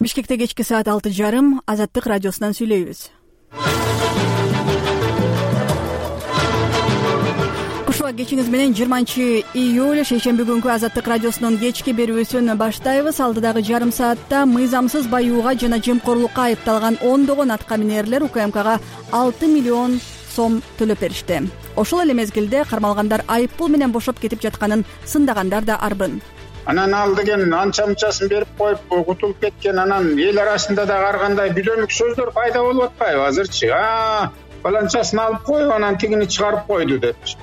Бишкекте кечки саат 6:30 Азаттык радиосунан сүйлөйбүз. Кушуа кечиңиз менен 20-июль шейшемби күнкү Азаттык радиосунун кечки берүүсүн баштайбыз. Алдыдагы жарым саатта мыйзамсыз баюуга жана жемкорлукка айыпталган ондогон аткаминерлер УКМКга 6 миллион сом төлөп беришти. Ошол эле мезгилде кармалгандар айыппул менен бошоп кетип жатканын сындагандар да арбын. Анан ал деген анча-мынчасын берип коюп кутулуп кеткен, анан эл арасында да ар кандай бүдөмүк сөздөр пайда болуп атпайбы азырчы? Баланчасын алып коюп, анан тигини чыгарып койду депчи.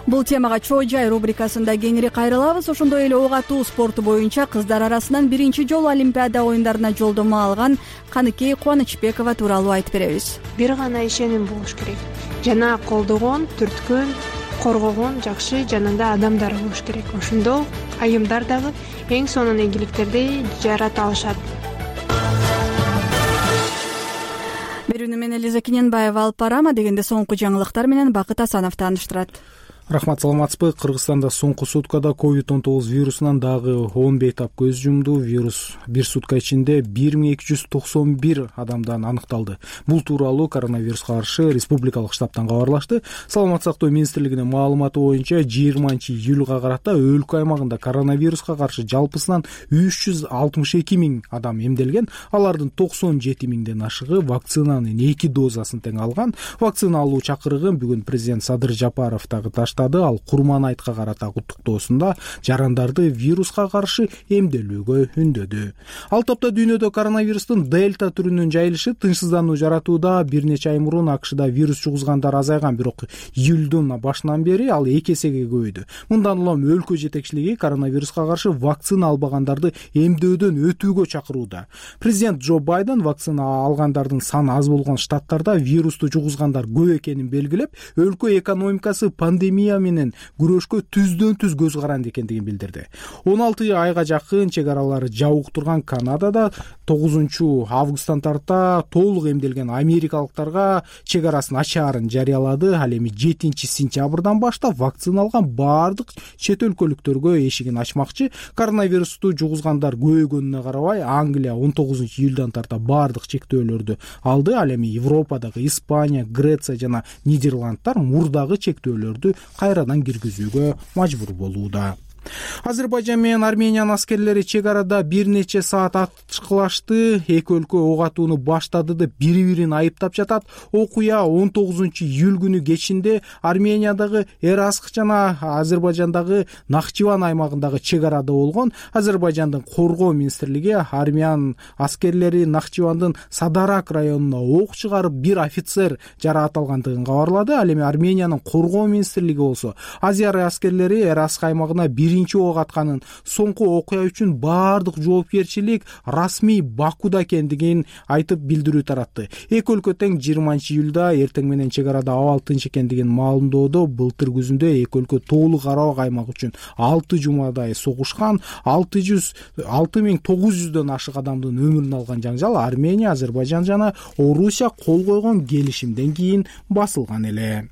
Бул темага чоо жай рубрикасында кеңири кайрылабыз. Ошондой эле ок атуу спорту боюнча кыздар арасынан биринчи жолу Олимпиада оюндарына жолдомо алган Каныкей Кубанычбекова тууралуу айтып беребиз. Бир гана ишеним болуш керек. Жана колдогон, түрткөн, коргогон жакшы жанында адамдар болуш керек. Ошондо айымдар дагы эң сонун ийгиликтерди жарата алышат. Берүүнү мен Элиза Кененбаева алып барам, дегенде соңку жаңылыктар менен Бакыт Асанов тааныштырат. Рахмат, саламатсызбы? Кыргызстанда соңку суткада COVID-19 вирусунан дагы 10 бейтап көз жумду. Вирус бир сутка ичинде 1291 адамдан аныкталды. Бул тууралуу коронавируска каршы республикалык штабтан кабарлашты. Саламаттык сактоо министрлигинин маалыматы боюнча 20-июлга карата өлкө аймагында коронавируска каршы жалпысынан 362 миң адам эмделген. Алардын 97 миңден ашыгы вакцинанын 2 дозасын тең алган. Вакцина алуу чакырыгын бүгүн президент Садыр Жапаров дагы таштады. Ал Курман айтка карата куттуктоосунда жарандарды вируска каршы эмделүүгө үндөдү. Ал топто дүйнөдө коронавирустун дельта түрүнүн жайылышы тынчсыздануу жаратууда. Бир нече ай мурун АКШда вирус жугузгандар азайган, бирок июлдун башынан бери ал 2 эсеге көбөйдү. Мындан улам өлкө жетекчилиги коронавируска каршы вакцина албагандарды эмдөөдөн өтүүгө чакырууда. Президент Джо Байден вакцина алгандардын саны аз болгон штаттарда вирусту жугузгандар көп экенин белгилеп, өлкө экономикасы пандемия менен күрөшкө түздөн-түз көз каранды экендигин билдирди. 16 айга жакын чек аралары жабык турган Канадада 9 августтан тарта толук эмделген америкалыктарга чек арасын ачаарын жарыялады. Ал эми 7 сентябрдан баштап вакцина алган баардык чет өлкөлүктөргө эшигин ачмакчы. Коронавирусту жугузгандар көбөйгөнүнө карабай, Англия 19 июлдан тарта баардык чектөөлөрдү алды. Ал эми Европадагы Испания, Греция жана Нидерландтар мурдагы чектөөлөрдү кайрадан киргизүүгө мажбур болууда. Азербайжан менен Армениянын аскерлери чек арада бир нече саат атышкылашты. Эки өлкө ок атууну баштады деп бири-бирин айыптап жатат. Окуя 19 июль күнү кечинде Армениядагы Эраск жана Азербайжандагы Нахчыван аймагындагы чек арада болгон. Азербайжандын коргоо министрлиги армян аскерлери Нахчывандын Садарак районуна ок чыгарып, бир офицер жарааталгандыгын кабарлады. Ал эми Армениянын коргоо министрлиги болсо Азер аскерлери Эраск аймагына биринчи ок атканын, соңку окуя үчүн баардык жоопкерчилик расмий Бакуда экендигин айтып билдирүү таратты. Эки өлкө тең 20 июлда эртең менен чек арада абал тынч экендигин маалымдоодо былтыр күзүндө эки өлкө тоолук аралык аймак үчүн 6 жумадай согушкан. 6900дөн ашык адамдын өмүрүн алган жаңжал Армения, Азербайжан жана Орусия кол койгон келишимден кийин басылган эле.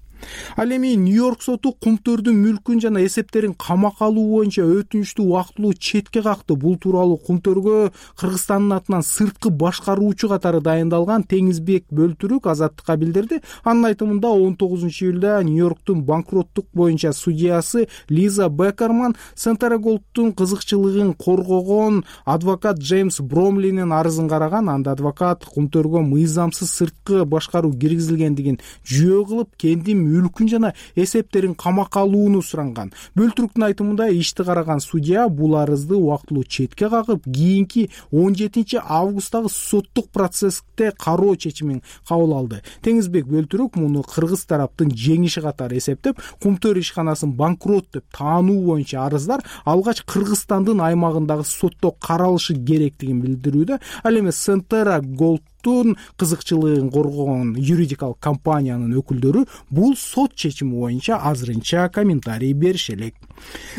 Ал эми Нью-Йорк соту кумтөрдүн мүлкүн жана эсептерин камакка алуу боюнча өтүнүчтү убактылуу четке какты. Бул тууралуу кумтөргө Кыргызстандын атынан сырткы башкаруучу катары дайындалган Теңизбек Бөлтүрүк Азаттыкка билдирди. Анын айтымында 19 июлда Нью-Йорктун банкроттук боюнча судьясы Лиза Бекерман Сентерголдтун кызыкчылыгын коргогон адвокат Джеймс Бромлинин арызын караган. Анда адвокат кумтөргө мыйзамсыз сырткы башкаруу киргизилгендигин жүйө кылып, кендин мүлкүн жана эсептерин камакка алууну суранган. Бөлтүрүктүн айтымында ишти караган судья бул арызды убактылуу четке кагып, кийинки 17 августтагы соттук процессте кароо чечимин кабыл алды. Теңизбек Бөлтүрүк муну кыргыз тараптын жеңиши катары эсептеп, кумтөр ишканасын банкрот деп таануу боюнча арыздар алгач Кыргызстандын аймагындагы сотто каралышы керектигин билдирүүдө. Ал эми Сентерголд кызыкчылыгын коргогон юридикалык компаниянын өкүлдөрү бул сот чечими боюнча азырынча комментарий бериши элек.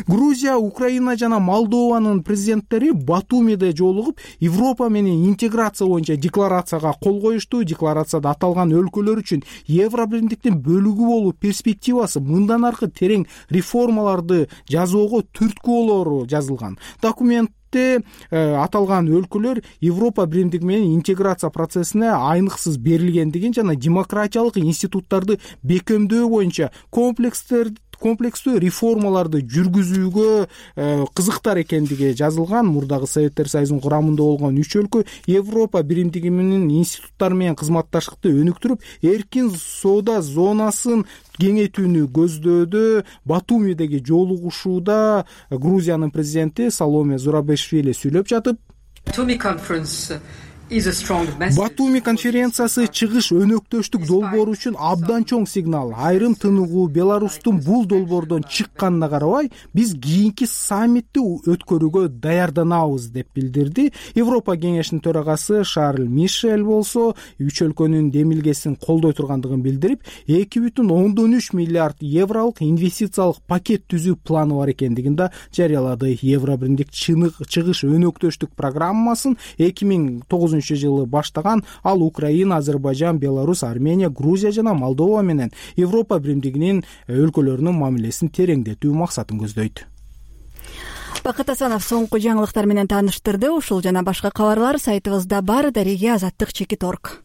Грузия, Украина жана Молдованын президенттери Батумиде жолугуп, Европа менен интеграция боюнча декларацияга кол коюшту. Декларацияда аталган өлкөлөр үчүн Евробирликтин бөлүгү болуу перспективасы, мындан аркы терең реформаларды жасоого түрткү болору жазылган. Документ саммитте аталган өлкөлөр Европа биримдиги менен интеграция процессине айныксыз берилгендигин жана демократиялык институттарды бекемдөө боюнча комплекстүү реформаларды жүргүзүүгө кызыктар экендиги жазылган. Мурдагы Советтер Союзунун курамында болгон 3 өлкө Европа биримдиги менен институттар менен кызматташтыкты өнүктүрүп, эркин соода зонасын кеңейтүүнү көздөөдө. Батумидеги жолугушууда Грузиянын президенти Саломе Зурабишвили сүйлөп жатып, Батуми конференциясы чыгыш өнөктөштүк долбоору үчүн абдан чоң сигнал. Айрым тыныгуу Беларустун бул долбоордон чыкканына карабай, биз кийинки саммитти өткөрүүгө даярданабыз деп билдирди. Европа кеңешинин төрагасы Шарль Мишель болсо 3 өлкөнүн демилгесин колдой тургандыгын билдирип, 2,3 миллиард евролук инвестициялык пакет түзүү планы бар экендигин да жарыялады. Евро биримдик чыгыш өнөктөштүк программасын 2009 жылы баштаган. Ал Украина, Азербайжан, Беларусь, Армения, Грузия жана Молдова менен Европа биримдигинин өлкөлөрүнүн мамилесин тереңдетүү максатын көздөйт. Бакыт Асанов соңку жаңылыктар менен тааныштырды. Ушул жана башка кабарлар сайтыбызда бар. Дареге Азаттык.org.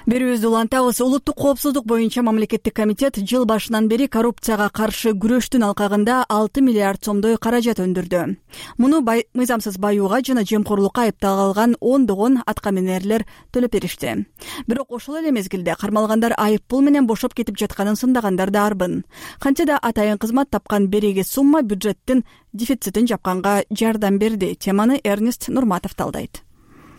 Берүүбүздү улантабыз. Улуттук коопсуздук боюнча мамлекеттик комитет жыл башынан бери коррупцияга каршы күрөштүн алкагында 6 миллиард сомдой каражат өндүрдү. Муну мыйзамсыз баюуга жана жемкорлукка айыпталган ондогон аткаминерлер төлөп беришти. Бирок ошол эле мезгилде кармалгандар айып пул менен бошоп кетип жатканын сындагандар да арбын. Канча да атайын кызмат тапкан береги сумма бюджеттин дефицитин жапканга жардам берди. Теманы Эрнест Нурматов талдайт.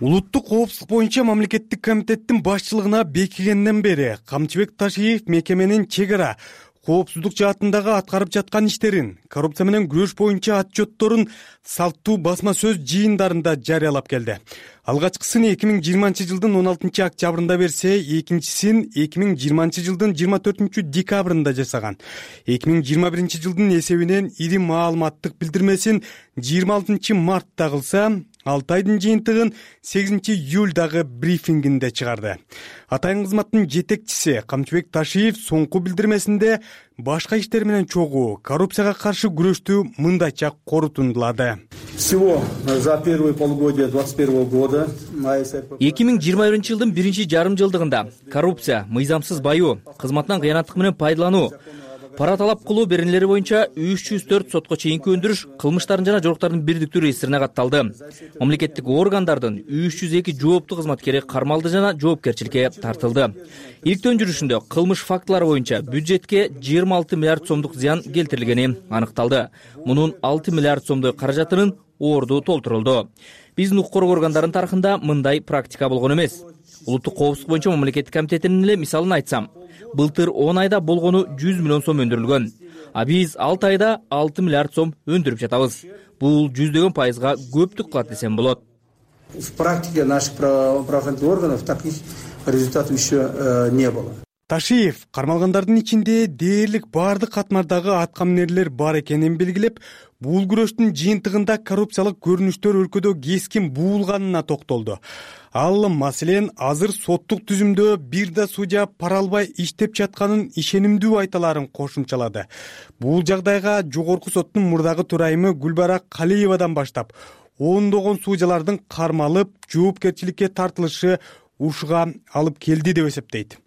Улуттук коопсуздук боюнча мамлекеттик комитеттин башчылыгына бекигенден бери Камчыбек Ташиев мекеменин чек ара коопсуздук жаатындагы аткарып жаткан иштерин, коррупция менен күрөш боюнча отчетторун салттуу басма сөз жыйындарында жарыялап келди. Алгачкысын 2020 жылдын 16 октябрында берсе, экинчисин 2020 жылдын 24 декабрында жасаган. 2021 жылдын эсебинен ири маалыматтык билдирмесин 26 мартта кылса, 6 айдын жыйынтыгын 8 июлдагы брифингинде чыгарды. Атайын кызматтын жетекчиси Камчыбек Ташиев соңку билдирмесинде башка иштер менен чогуу коррупцияга каршы күрөштү мындайча корутундулады. Всего за первое полугодие 2021 года 2021 жылдын биринчи жарым жылдыгында коррупция, мыйзамсыз баюу, кызматтан кыянаттык менен пайдалануу, пара талап кылуу беренелери боюнча 304 сотко чейинки өндүрүш кылмыштардын жана жоруктардын бирдиктүү реестрине катталды. Мамлекеттик органдардын 302 жооптуу кызматкери кармалды жана жоопкерчиликке тартылды. Илктөө жүрүшүндө кылмыш фактылары боюнча бюджетке 26 миллиард сомдук зыян келтирилгени аныкталды. Мунун 6 миллиард сомдой каражатынын орду толтурулду. Биздин укук коргоо органдарынын тарыхында мындай практика болгон эмес. Улуттук коопсуздук боюнча мамлекеттик комитетинин эле мисалын айтсам, былтыр 10 айда болгону 100 миллион сом өндүрүлгөн. А биз 6 айда 6 миллиард сом өндүрүп жатабыз. Бул 100 пайызга көптүк кылат десем болот. В практике наших правоохранительных органов таких результатов еще не было. Ташиев кармалгандардын ичинде дээрлик бардык катмардагы аткаминерлер бар экенин белгилеп, бул күрөштүн жыйынтыгында коррупциялык көрүнүштөр өлкөдө кескин буулганына токтолду. Ал маселен азыр соттук түзүмдө бир да судья пара албай иштеп жатканын ишенимдүү айталарын кошумчалады. Бул жагдайга жогорку соттун мурдагы төрайымы Гүлбара Калиевадан баштап ондогон судьялардын кармалып, жоопкерчиликке тартылышы ушуга алып келди деп эсептейт.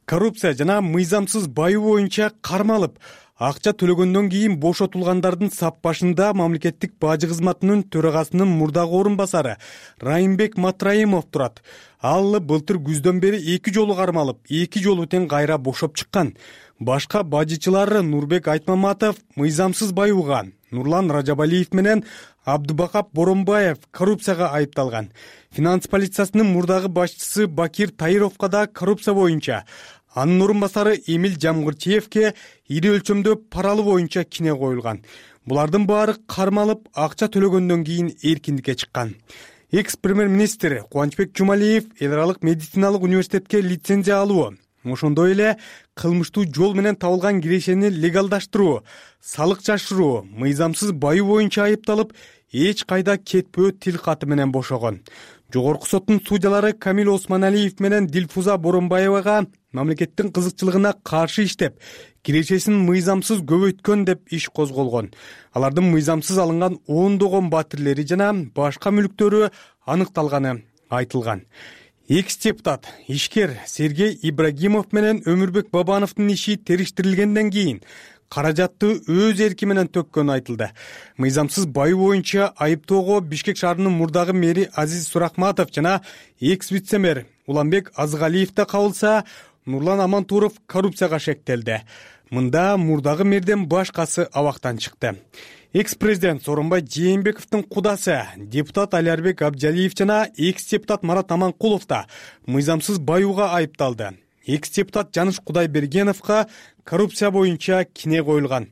Коррупция жана мыйзамсыз баюу боюнча кармалып, акча төлөгөндөн кийин бошотулгандардын сап башында мамлекеттик бажы кызматынын төрагасынын мурдагы орун басары Райымбек Матраимов турат. Ал былтыр күздөн бери 2 жолу кармалып, 2 жолу тең кайра бошоп чыккан. Башка бажычылар Нурбек Айтмаматов мыйзамсыз баюуга, Нурлан Ражабалиев менен Абдубакап Боронбаев коррупцияга айыпталган. Финанс полициясынын мурдагы башчысы Бакир Таировго да коррупция боюнча, анын орун басары Эмил Жамгырчиевке ири өлчөмдө паралы боюнча кине коюлган. Булардын баары кармалып, акча төлөгөндөн кийин эркиндикке чыккан. Экс-премьер-министр Кубанычбек Жумалиев эл аралык медициналык университетке лицензия алуу, ошондой эле кылмыштуу жол менен табылган кирешени легалдаштыруу, салык жашыруу, мыйзамсыз баюу боюнча айыпталып, эч кайда кетпөө тил каты менен бошогон. Жогорку соттун судьялары Камил Осмоналиев менен Дилфуза Боронбаевага мамлекеттин кызыкчылыгына каршы иштеп, кирешесин мыйзамсыз көбөйткөн деп иш козголгон. Алардын мыйзамсыз алынган ондогон батирлери жана башка мүлктөрү аныкталганы айтылган. Экс-депутат ишкер Сергей Ибрагимов менен Өмүрбек Бабановдун иши териштирилгенден кийин каражатты өз эрки менен төккөнү айтылды. Мыйзамсыз байоо боюнча айыптоого Бишкек шаарынын мурдагы мэри Азиз Сурахматов жана экс-вице-мэр Уланбек Азгалиев да кабылса, Нурлан Амантуров коррупцияга шектелди. Мында мурдагы мэрден башкасы абактан чыкты. Экс-президент Сооронбай Жээнбековдун кудасы депутат Алиарбек Абджалиев жана экс-депутат Марат Аманкулов да мыйзамсыз баюуга айыпталды. Экс-депутат Жаныш Кудайбергеновго коррупция боюнча кине коюлган.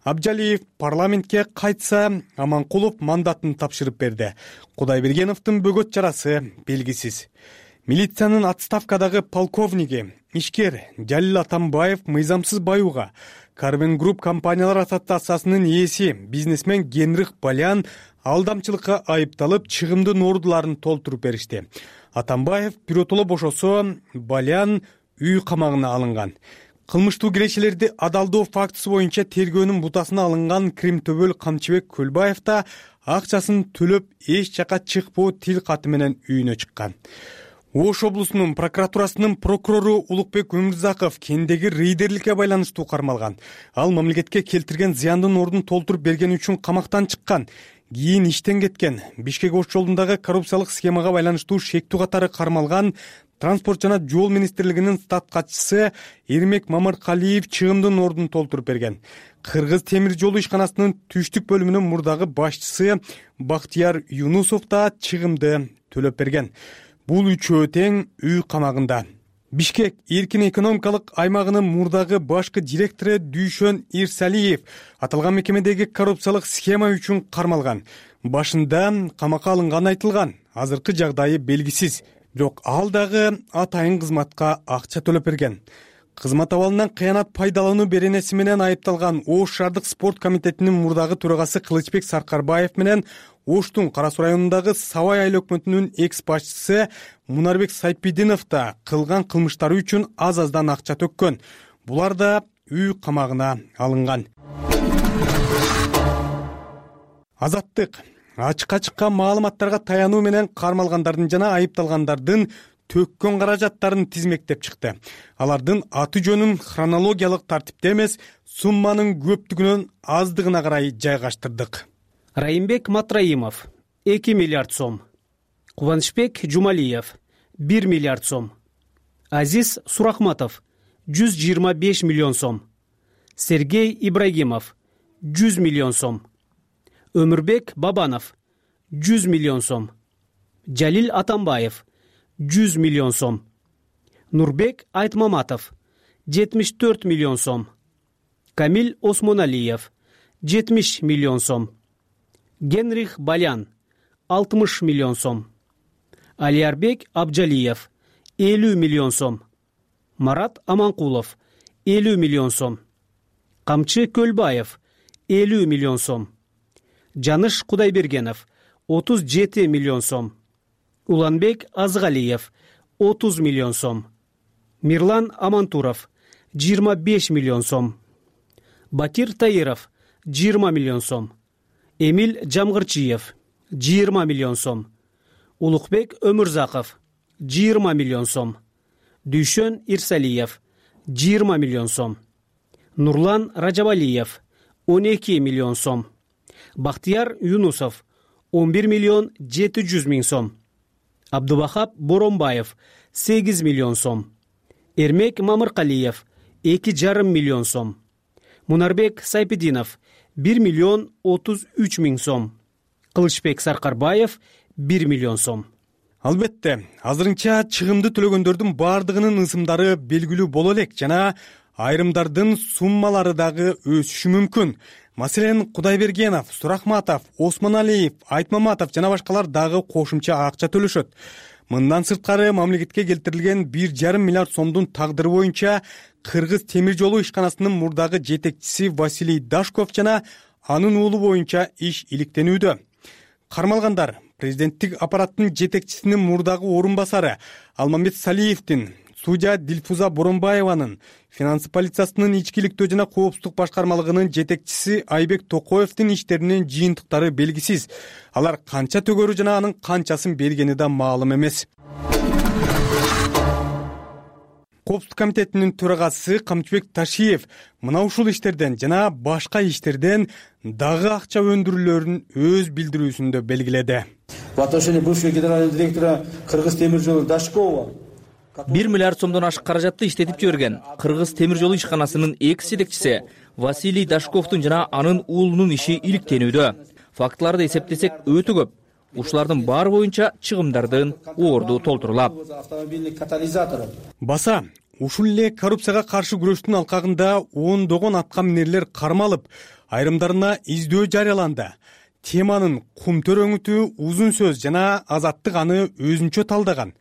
Абджалиев парламентке кайтса, Аманкулов мандатын тапшырып берди. Кудайбергеновдун бөгөт чарасы белгисиз. Милициянын отставкадагы полковниги ишкер Жалил Атамбаев мыйзамсыз баюуга Карвен Групп компаниялар ассоциациясынын ээси бизнесмен Генрих Балян алдамчылыкка айыпталып, чыгымдын ордуларын толтуруп беришти. Атамбаев биротоло бошосо, Балян үй камагына алынган. Кылмыштуу кирешелерди адалдоо фактысы боюнча тергөөнүн бутасына алынган Кримтөбөл Камчыбек Көлбаев да акчасын төлөп эч жака чыкпоо тил каты менен үйүнө чыккан. Ош облусунун прокуратурасынын прокурору Улукбек Өмүрзаков кендеги рейдерликке байланыштуу кармалган. Ал мамлекетке келтирген зыяндын ордун толтуруп бергени үчүн камактан чыккан. Кийин иштен кеткен. Бишкек Ош жолундагы коррупциялык схемага байланыштуу шектүү катары кармалган Транспорт жана жол министрлигинин стат катчысы Эрмек Мамыркалиев чыгымдын ордун толтуруп берген. Кыргыз темир жолу ишканасынын түштүк бөлүмүнүн мурдагы башчысы Бактияр Юнусов да чыгымды төлөп берген. Бул үчөө тең үй камагында. Бишкек эркин экономикалык аймагынын мурдагы башкы директору Дүйшөн Ирсалиев аталган мекемедеги коррупциялык схема үчүн кармалган. Башында камакка алынганы айтылган. Азыркы жагдайы белгисиз. Бирок ал дагы атайын кызматка акча төлөп берген. Кызмат абалынан кыянат пайдалануу беренеси менен айыпталган Ош шаардык спорт комитетинин мурдагы төрагасы Кылычбек Саркарбаев менен Оштун Кара Суу районундагы Сабай айыл өкмөтүнүн экс башчысы Мунарбек Сайпидинов да кылган кылмыштары үчүн аз-аздан акча төккөн. Булар да үй камагына алынган. Азаттык ачыкка чыккан маалыматтарга таянуу менен кармалгандардын жана айыпталгандардын төккөн каражаттарын тизмектеп чыкты. Алардын аты жөнүн хронологиялык тартипте эмес, сумманын көптүгүнөн аздыгына карай жайгаштырдык. Райымбек Матраимов 2 миллиард сом, Кубанычбек Жумалиев 1 миллиард сом, Азиз Сурахматов 125 миллион сом, Сергей Ибрагимов 100 миллион сом, Өмүрбек Бабанов 100 миллион сом, Жалил Атамбаев 100 миллион сом, Нурбек Айтмаматов 74 миллион сом, Камил Осмоналиев 70 миллион сом, Генрих Балян 60 миллион сом, Алиарбек Абджалиев 50 миллион сом, Марат Аманкулов 50 миллион сом, Камчы Көлбаев 50 миллион сом, Жаныш Кудайбергенов 37 миллион сом, Уланбек Азгалиев 30 миллион сом, Мирлан Амантуров 25 миллион сом, Батир Таиров 20 миллион сом, Эмил Жамгырчиев 20 миллион сом, Улукбек Өмүрзаков 20 миллион сом, Дүйшөн Ирсалиев 20 миллион сом, Нурлан Ражабалиев 12 миллион сом, Бактияр Юнусов 11 миллион 700 миң сом, Абдубахап Боронбаев 8 миллион сом, Эрмек Мамыркалиев 2,5 миллион сом, Мунарбек Сайпидинов 1 миллион 33 миң сом, Кылычбек Саркарбаев 1 миллион сом. Албетте, азырынча чыгымды төлөгөндөрдүн бардыгынын ысымдары белгилүү боло элек жана айрымдардын суммалары дагы өсүшү мүмкүн. Маселен, Кудайбергенов, Сурахматов, Осмоналиев, Айтмаматов жана башкалар дагы кошумча акча төлөшөт. Мындан сырткары мамлекетке келтирилген 1,5 миллиард сомдун тагдыры боюнча Кыргыз темир жолу ишканасынын мурдагы жетекчиси Василий Дашков жана анын уулу боюнча иш иликтенүүдө. Кармалгандар президенттик аппараттын жетекчисинин мурдагы орун басары Алмамбет Салиевдин, судья Дилфуза Боронбаеванын, финансы полициясынын ичкиликтөө жана коопсуздук башкармалыгынын жетекчиси Айбек Токоевдин иштеринин жыйынтыктары белгисиз. Алар канча төгөрү жана анын канчасын бергени да маалым эмес. Коопсуздук комитетинин төрагасы Камчыбек Ташиев мына ушул иштерден жана башка иштерден дагы акча өндүрүүлөрүн өз билдирүүсүндө белгиледи. В отношении бывшего генерального директора Кыргыз темир жолу Дашкова 1 миллиард сомдон ашык каражатты иштетип жиберген Кыргыз темир жолу ишканасынын экс жетекчиси Василий Дашковдун жана анын уулунун иши иликтенүүдө. Фактыларды эсептесек өтө көп. Ушулардын баары боюнча чыгымдардын орду толтурулат. Баса, ушул эле коррупцияга каршы күрөштүн алкагында ондогон атка минерлер кармалып, айрымдарына издөө жарыяланды. Теманын кумтөр өңүтү узун сөз жана Азаттык аны өзүнчө талдаган.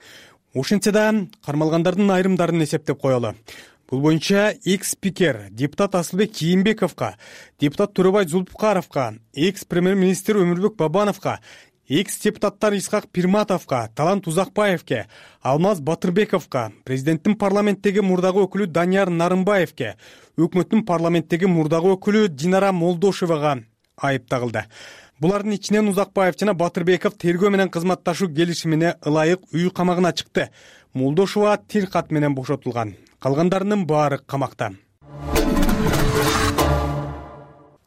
Ошентсе да кармалгандардын айрымдарын эсептеп коелу. Бул боюнча экс-спикер депутат Асылбек Кийимбековго, депутат Төрөбай Зулпукаровго, экс-премьер-министр Өмүрбек Бабановго, экс-депутаттар Исхак Пирматовго, Талант Узакбаевге, Алмаз Батырбековго, президенттин парламенттеги мурдагы өкүлү Данияр Нарымбаевге, өкмөттүн парламенттеги мурдагы өкүлү Динара Молдошевага айып тагылды. Булардын ичинен Узакбаев жана Батырбеков тергөө менен кызматташуу келишимине ылайык үй камагына чыкты. Молдошева тил кат менен бошотулган. Калгандарынын баары камакта.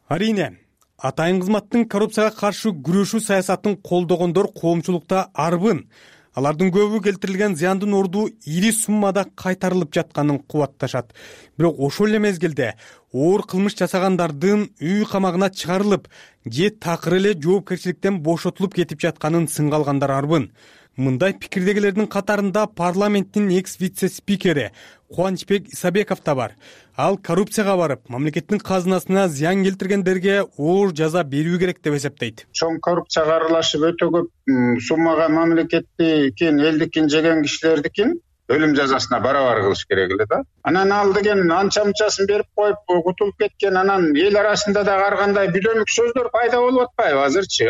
Арине, атайын кызматтын коррупцияга каршы күрөшүү саясатын колдогондор коомчулукта арбын. Алардын көбү келтирилген зыяндын орду ири суммада кайтарылып жатканын кубатташат. Бирок ошол эле мезгилде оор кылмыш жасагандардын үй камагына чыгарылып, же такыр эле жоопкерчиликтен бошотулуп кетип жатканын сынга алгандар арбын. Мындай пикирдегилердин катарында парламенттин экс-вице-спикери Кубанычбек Исабеков да бар. Ал коррупцияга барып, мамлекеттин казынасына зыян келтиргендерге оор жаза берүү керек деп эсептейт. Чоң коррупцияга аралашып өтө көп суммага мамлекеттикин, элдикин жеген кишилердикин өлүм жазасына барабар кылыш керек эле да. Анан ал деген анча-мынчасын берип коюп кутулуп кеткен, анан эл арасында да ар кандай бүдөмүк сөздөр пайда болуп атпайбы азырчы?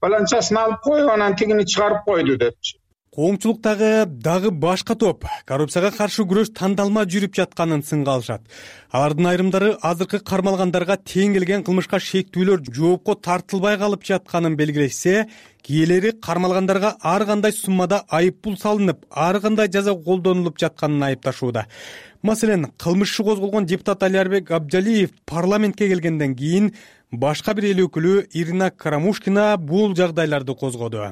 Баланчасын алып коюп, анан тигини чыгарып койду депчи. Коомчулуктагы дагы башка топ коррупцияга каршы күрөш тандалма жүрүп жатканын сынга алышат. Алардын айрымдары азыркы кармалгандарга тең келген кылмышка шектүүлөр жоопко тартылбай калып жатканын белгилешсе, кийинери кармалгандарга ар кандай суммада айып пул салынып, ар кандай жаза колдонулуп жатканын айыпташууда. Маселен, кылмышы козголгон депутат Алиарбек Абджалиев парламентке келгенден кийин башка бир эл өкүлү Ирина Карамушкина бул жагдайларды козгоду.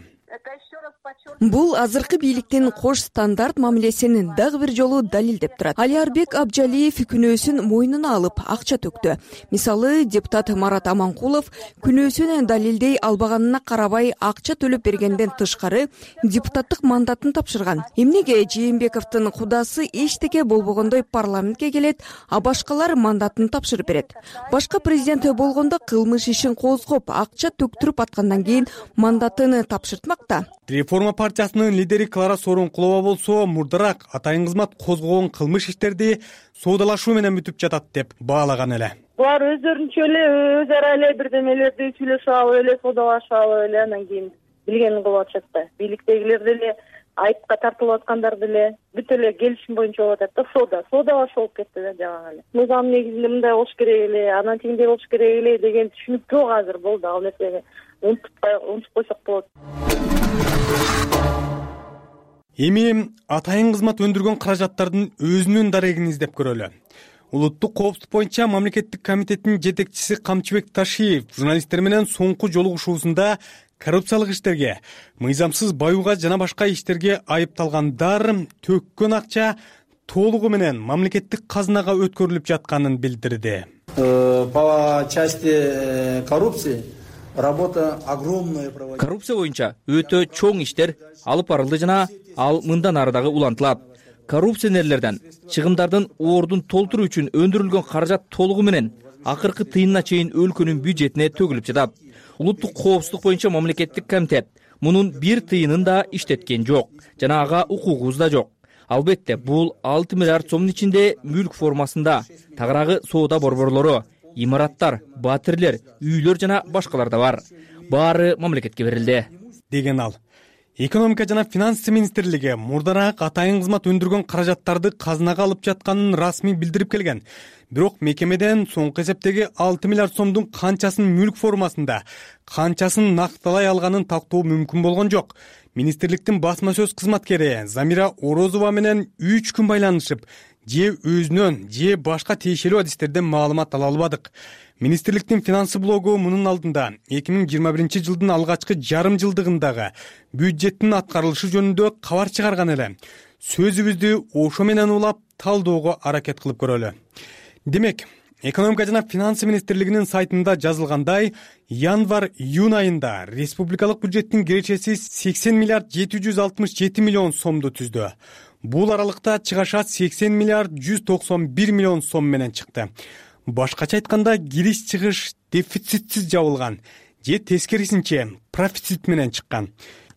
Бул азыркы бийликтин кош стандарт мамилесин дагы бир жолу далилдеп турат. Алиарбек Абджалиев күнөөсүн мойнуна алып акча төктү. Мисалы, депутат Марат Аманкулов күнөөсүн далилдей албаганына карабай акча төлөп бергенден тышкары депутаттык мандатын тапшырган. Эмнеге Жээнбековдун кудасы эчтеке болбогондой парламентке келет, а башкалар мандатын тапшырып берет? Башка президент болгондо кылмыш ишин козгоп, акча төктүрүп аткандан кийин мандатын тапшыртмакта. Реформа партиясынын лидери Клара Сооронкулова болсо, мурдараак атайын кызмат козгогон кылмыш иштерди соодалашуу менен бүтүп жатат деп баалаган эле. Булар өздөрүнчө эле өз ара эле бирдемелерди сүйлөшүп алып эле соодалашып алып эле анан кийин билгенин кылып атышат да. Бийликтегилер деле айыпка тартылып аткандар деле бүт эле келишим боюнча болуп атат да, соодалашуу болуп кетти да жагы эле. Мыйзам негизинде мындай болуш керек эле, анан тигиндей болуш керек эле деген түшүнүк жок азыр болду. Ал нерсени унутуп койсок болот. Эми атайын кызмат өндүргөн каражаттардын өзүнүн дарегин издеп көрөлү. Улуттук коопсуздук боюнча мамлекеттик комитеттин жетекчиси Камчыбек Ташиев журналисттер менен соңку жолугушуусунда коррупциялык иштерге, мыйзамсыз баюуга жана башка иштерге айыпталгандар төккөн акча толугу менен мамлекеттик казынага өткөрүлүп жатканын билдирди. По части коррупции работа огромная. Коррупция боюнча өтө чоң иштер алып барылды жана ал мындан ары дагы улантылат. Коррупционерлерден чыгымдардын ордун толтуруу үчүн өндүрүлгөн каражат толугу менен акыркы тыйынына чейин өлкөнүн бюджетине төгүлүп жатат. Улуттук коопсуздук боюнча мамлекеттик комитет мунун бир тыйынын да иштеткен жок жана ага укугубуз да жок. Албетте, бул 6 миллиард сомдун ичинде мүлк формасында тагыраагы соода борборлору, имараттар, батирлер, үйлөр жана башкалар да бар. Баары мамлекетке берилди. деген ал. Экономика жана финансы министрлиги мурдараак атайын кызмат өндүргөн каражаттарды казынага алып жатканын расмий билдирип келген. Бирок мекемеден соңку эсептеги 6 миллиард сомдун канчасын мүлк формасында, канчасын накталай алганын тактоо мүмкүн болгон жок. Министрликтин басма сөз кызматкери Замира Орозова менен 3 күн байланышып, же өзүнөн, же башка тиешелүү адистерден маалымат ала албадык. Министрликтин финансы блогу мунун алдында 2021-жылдын алгачкы жарым жылдыгындагы бюджеттин аткарылышы жөнүндө кабар чыгарган эле. Сөзүбүздү ошо менен улап талдоого аракет кылып көрөлү. Демек, Экономика жана финансы министрлигинин сайтында жазылгандай, январь-июнь айында республикалык бюджеттин кирешеси 80 миллиард 767 миллион сомду түздү. Бул аралыкта чыгаша 80 миллиард 191 миллион сом менен чыкты. Башкача айтканда, кириш-чыгыш дефицитсиз жабылган, же тескерисинче профицит менен чыккан.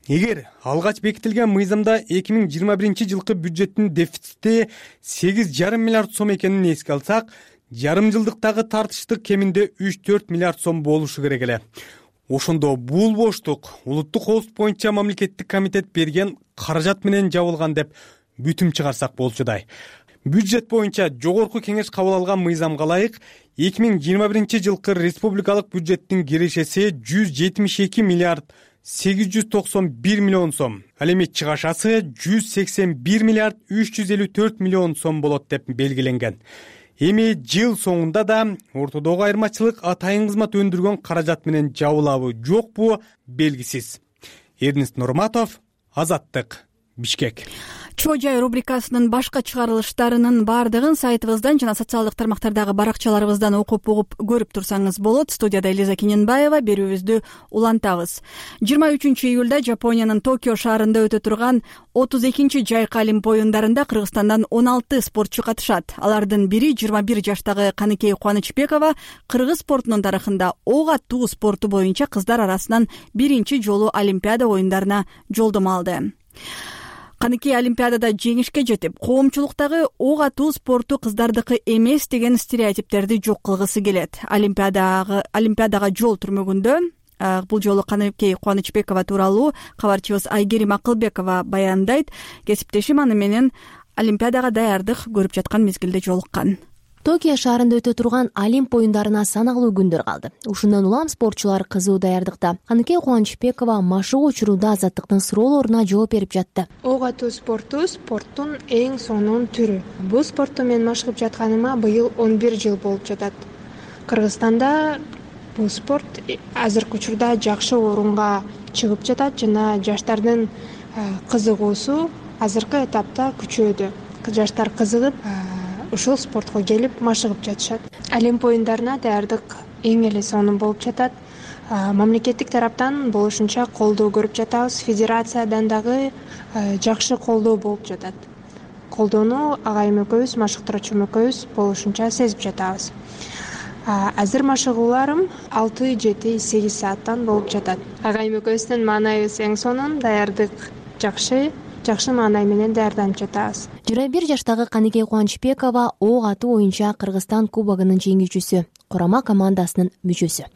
Эгер алгач бекитилген мыйзамда 2021-жылкы бюджеттин дефицити 8,5 миллиард сом экенин эске алсак, жарым жылдыктагы тартыштык кеминде 3-4 миллиард сом болушу керек эле. Ошондо бул боштук улуттук коопсуздук боюнча мамлекеттик комитет берген каражат менен жабылган деп бүтүм чыгарсак болчудай. Бюджет боюнча жогорку кеңеш кабыл алган мыйзамга ылайык 2021-жылкы республикалык бюджеттин кирешеси 172 миллиард 891 миллион сом. Ал эми чыгашасы 181 миллиард 354 миллион сом болот деп белгиленген. Эми жыл соңунда да ортодогу айырмачылык атайын кызмат өндүргөн каражат менен жабылабы, жокпу белгисиз. Эрнест Нурматов, Азаттык, Бишкек. Чоо жай рубрикасынын башка чыгарылыштарынын бардыгын сайтыбыздан жана социалдык тармактардагы баракчаларыбыздан окуп угуп көрүп турсаңыз болот. Студияда Элиза Кененбаева, берүүбүздү улантабыз. 23-июлда Жапониянын Токио шаарында өтө турган 32-жайкы Олимп оюндарында Кыргызстандан 16 спортчу катышат. Алардын бири 21 жаштагы Каныкей Кубанычбекова кыргыз спортунун тарыхында ок аттуу спорту боюнча кыздар арасынан биринчи жолу Олимпиада оюндарына жолдомо алды. Каныкей Олимпиадада жеңишке жетип, коомчулуктагы ок атуу спорту кыздардыкы эмес деген стереотиптерди жок кылгысы келет. Олимпиадага жол түрмөгүндө бул жолу Каныкей Кубанычбекова тууралуу кабарчыбыз Айгерим Акылбекова баяндайт. Кесиптешим аны менен Олимпиадага даярдык көрүп жаткан мезгилде жолуккан. Токио шаарында өтө турган Олимп оюндарына саналуу күндөр калды. Ушундан улам спортчулар кызуу даярдыкта. Каныкей Кубанычбекова машыгуу учурунда Азаттыктын суроолоруна жооп берип жатты. Ок атуу спорттун эң сонун түрү. Бул спортту мен машыгып жатканыма быйыл 11 жыл болуп жатат. Кыргызстанда бул спорт азыркы учурда жакшы орунга чыгып жатат жана жаштардын кызыгуусу азыркы этапта күчөдү. Жаштар кызыгып ушул спортко келип машыгып жатышат. Олимп оюндарына даярдык эң эле сонун болуп жатат. Мамлекеттик тараптан болушунча колдоо көрүп жатабыз. Федерациядан дагы жакшы колдоо болуп жатат. Колдоону агайым экөөбүз, машыктыруучум экөөбүз болушунча сезип жатабыз. Азыр машыгууларым 6-7-8 сааттан болуп жатат. Агайым экөөбүздүн маанайыбыз эң сонун, даярдык жакшы маанай менен даярданып жатабыз. 21 жаштагы Каныкей Кубанычбекова ок атуу боюнча Кыргызстан кубогунун жеңүүчүсү, курама командасынын мүчөсү.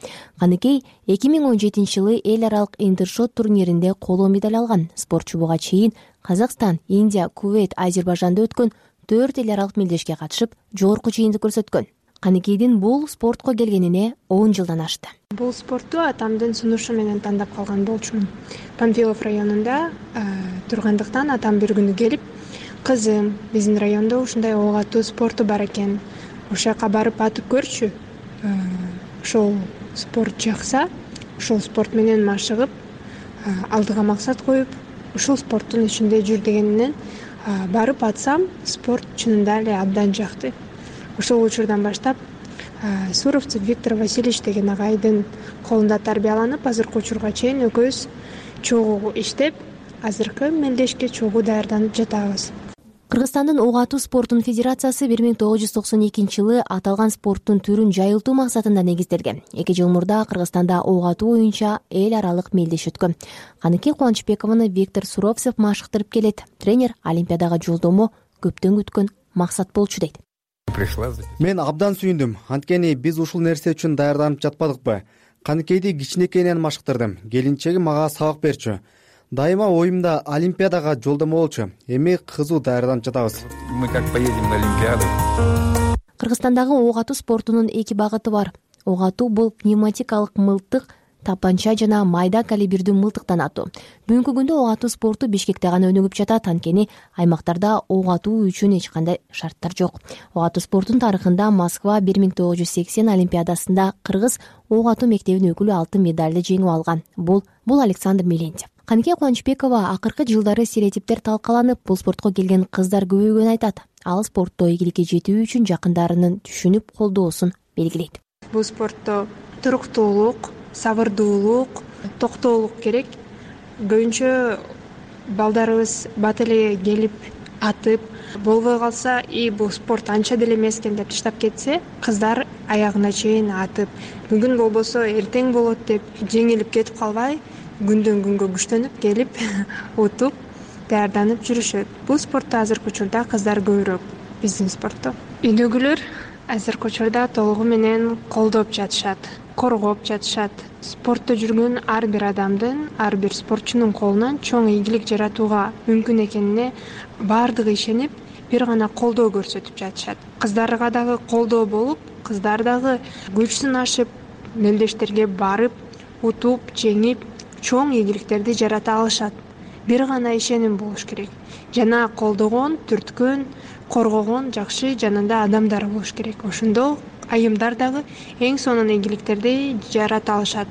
Каныкей 2017-жылы эл аралык интершот турниринде коло медаль алган. Спортчу буга чейин Казакстан, Индия, Кувейт, Азербайжанда өткөн 4 эл аралык мелдешке катышып, жогорку чейиндик көрсөткөн. Каныкейдин бул спортко келгенине 10 жылдан ашты. Бул спортту атамдын сунушу менен тандап калган болчумун. Панфилов районунда тургандыктан атам бир күнү келип, кызым, биздин райондо ушундай ок атуу спорту бар экен. Ошол жака барып атып көрчү. Ошол спорт жакса, ошол спорт менен машыгып, алдыга максат коюп, ушул спорттун ичинде жүр дегенинен барып атсам, спорт чынында эле абдан жакты. Ошол учурдан баштап Суровцев Виктор Васильевич деген агайдын колунда тарбияланып, азыркы учурга чейин экөөбүз чогуу иштеп, азыркы мелдешке чогуу даярданып жатабыз. Кыргызстандын ок атуу спортунун федерациясы 1992-жылы аталган спорттун түрүн жайылтуу максатында негизделген. 2 жыл мурда Кыргызстанда ок атуу боюнча эл аралык мелдеш өткөн. Каныкей Кубанычбекованы Виктор Суровцев машыктырып келет. Тренер Олимпиадага жолдомо көптөн күткөн максат болчу дейт. Мен абдан сүйүндүм. Анткени биз ушул нерсе үчүн даярданып жатпадыкпы? Каныкейди кичинекейинен машыктырдым. Келинчегим мага сабак берчү. Дайыма оюмда Олимпиадага жолдомо болчу. Эми кызуу даярданып жатабыз. Мы как поедем на Олимпиаду. Кыргызстандагы ок атуу спортунун эки багыты бар. Ок атуу бул пневматикалык мылтык, тапанча жана майда калибрдүү мылтыктан атуу. Бүгүнкү күндө ок атуу спорту Бишкекте гана өнүгүп жатат, анткени аймактарда ок атуу үчүн эч кандай шарттар жок. Ок атуу спортунун тарыхында Москва 1980 Олимпиадасында кыргыз ок атуу мектебинин өкүлү алтын медалды жеңип алган. Бул Александр Мелентьев. Каныкей Кубанычбекова акыркы жылдары стереотиптер талкаланып, бул спортко келген кыздар көбөйгөнүн айтат. Ал спортто ийгиликке жетүү үчүн жакындарынын түшүнүп колдоосун белгилейт. Бул спортто туруктуулук, сабырдуулук, токтоолук керек. Көбүнчө балдарыбыз бат эле келип атып, болбой калса, бул спорт анча деле эмес экен деп таштап кетсе, кыздар аягына чейин атып, бүгүн болбосо эртең болот деп жеңилип кетип калбай, күндөн күнгө күчтөнүп келип утуп даярданып жүрүшөт. Бул спортто азыркы учурда кыздар көбүрөөк биздин спортто. Үйдөгүлөр азыркы учурда толугу менен колдоп жатышат, коргоп жатышат. Спортто жүргөн ар бир адамдын, ар бир спортчунун колунан чоң ийгилик жаратууга мүмкүн экенине баардыгы ишенип, бир гана колдоо көрсөтүп жатышат. Кыздарга дагы колдоо болуп, кыздар дагы күч сынашып, мелдештерге барып, утуп, жеңип, чоң ийгиликтерди жарата алышат. Бир гана ишеним болуш керек. Жана колдогон, түрткөн, коргогон жакшы жанында адамдар болуш керек. Ошондо айымдар дагы эң сонун ийгиликтерди жарата алышат.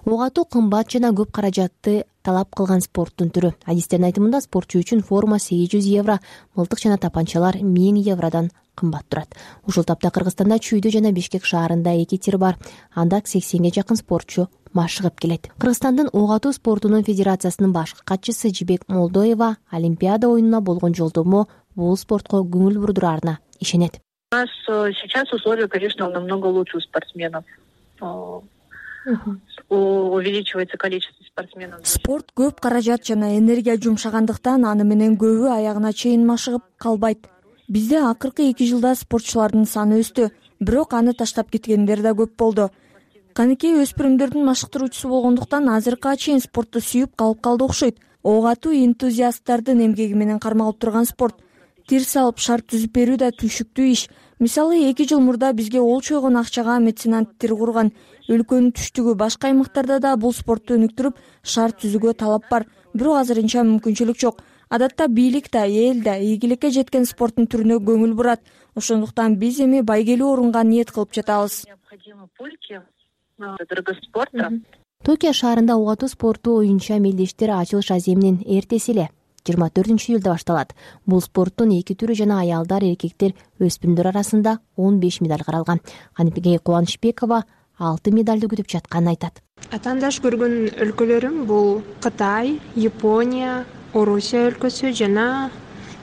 Ок атуу кымбат жана көп каражатты талап кылган спорттун түрү. Адистердин айтымында спортчу үчүн форма 800 евро, мылтык жана тапанчалар 1000 евродон кымбат турат. Ушул тапта Кыргызстанда Чүйдө жана Бишкек шаарында 2 тир бар. Анда 80ге жакын спортчу машыгып келет. Кыргызстандын ок атуу спортунун федерациясынын башкы катчысы Жибек Молдоева Олимпиада оюнуна болгон жолдомо бул спортко көңүл бурдурарына ишенет. У нас сейчас условия, конечно, намного лучше у спортсменов. Увеличивается количество спортсменов. Спорт көп каражат жана энергия жумшагандыктан аны менен көбү аягына чейин машыгып калбайт. Бизде акыркы 2 жылда спортчулардын саны өстү, бирок аны таштап кеткендер да көп болду. Каныкей өспүрүмдөрдүн машыктыруучусу болгондуктан азыркыга чейин спорту сүйүп калып калды окшойт. Ок атуу энтузиасттардын эмгеги менен кармалып турган спорт. Тир салып шарт түзүп берүү да түшүктүү иш. Мисалы 2 жыл мурда бизге олчойгон акчага меценат тир курган. Өлкөнүн түштүгү башка аймактарда да бул спорту өнүктүрүп шарт түзүүгө талап бар. Бирок азырынча мүмкүнчүлүк жок. Адатта бийлик да, эл да ийгиликке жеткен спорттун түрүнө көңүл бурат. Ошондуктан биз эми байгелүү орунга ниет кылып жатабыз. Токио шаарында ок атуу спорту оюнча мелдештер ачылыш аземинин эртеси эле 24-июлда башталат. Бул спорттун 2 түрү жана аялдар, эркектер, өспүрүмдөр арасында 15 медаль каралган. Каныкей Кубанычбекова 6 медалды күтүп жатканын айтат. Атаандаш көргөн өлкөлөрүм бул Кытай, Япония, Орусия өлкөсү жана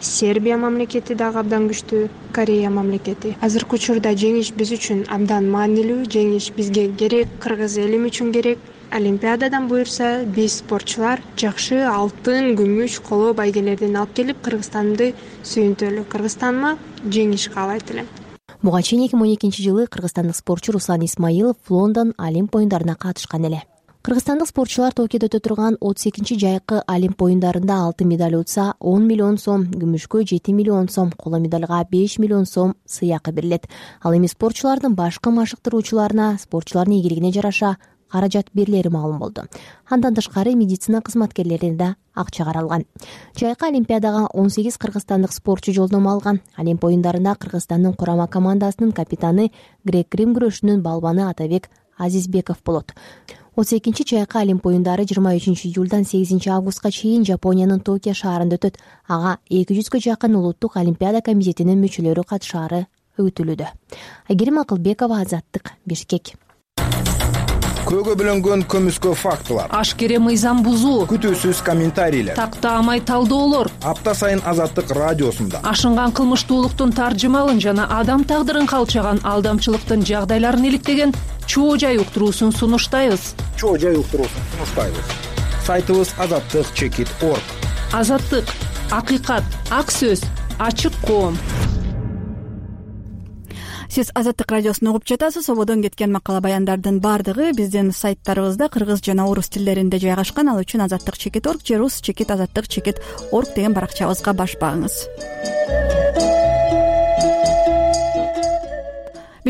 Сербия мамлекети дагы абдан күчтүү, Корея мамлекети. Азыркы учурда жеңиш биз үчүн абдан маанилүү, жеңиш бизге керек, кыргыз элим үчүн керек. Олимпиададан буюрса, биз спортчулар жакшы алтын, күмүш, коло байгелерден алып келип Кыргызстанды сүйүнтөлү. Кыргызстаныма жеңиш каалайт элем. Буга чейин 2012-жылы кыргызстандык спортчу Руслан Исмаилов Лондон Олимп оюндарына катышкан эле. Кыргызстандык спортчулар Токиодо өтө турган 32 жайкы Олимп оюндарында алтын медаль утса 10 миллион сом, күмүшкө 7 миллион сом, коло медальга 5 миллион сом сыйакы берилет. Ал эми спортчулардын башкы машыктыруучуларына спортчулардын ийгилигине жараша каражат берилери маалым болду. Андан тышкары медицина кызматкерлерине да акча каралган. Жайкы Олимпиадага 18 кыргызстандык спортчу жолдомо алган. Олимп оюндарында Кыргызстандын курама командасынын капитаны грек-рим күрөшүнүн балбаны Атабек Азизбеков болот. 32 жайкы Олимп оюндары 23 июлдан 8 августка чейин Жапониянын Токио шаарында өтөт. Ага 200гө жакын улуттук олимпиада комитетинин мүчөлөрү катышаары күтүлүүдө. Айгерим Акылбекова, Азаттык, Бишкек. Көөгө бөлөнгөн көмүскө фактылар, ашкере мыйзам бузуу, күтүүсүз комментарийлер, тактаамай талдоолор апта сайын Азаттык радиосунда ашынган кылмыштуулуктун таржымалын жана адам тагдырын калчаган алдамчылыктын жагдайларын иликтеген чоо жай уктуруусун сунуштайбыз. Сайтыбыз azattik.org. Азаттык, акыйкат, ак сөз, ачык коом. сиз Азаттык радиосун угуп жатасыз. Ободон кеткен макала баяндардын баардыгы биздин сайттарыбызда кыргыз жана орус тилдеринде жайгашкан. Ал үчүн azattik.org же rus.azattik.org деген баракчабызга баш багыңыз.